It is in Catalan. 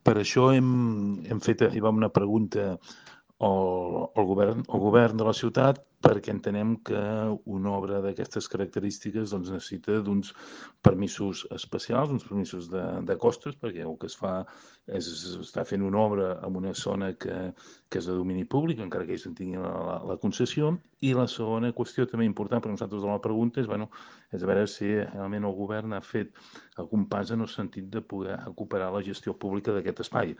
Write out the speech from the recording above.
Per això hem fet una pregunta al govern de la ciutat, perquè entenem que una obra d'aquestes característiques doncs, necessita d'uns permisos especials, uns permisos de costos, perquè el que es fa és estar fent una obra en una zona que és de domini públic, encara que ells en tinguin la concessió. I la segona qüestió també important per nosaltres de la pregunta és a veure si realment el govern ha fet algun pas en el sentit de poder recuperar la gestió pública d'aquest espai.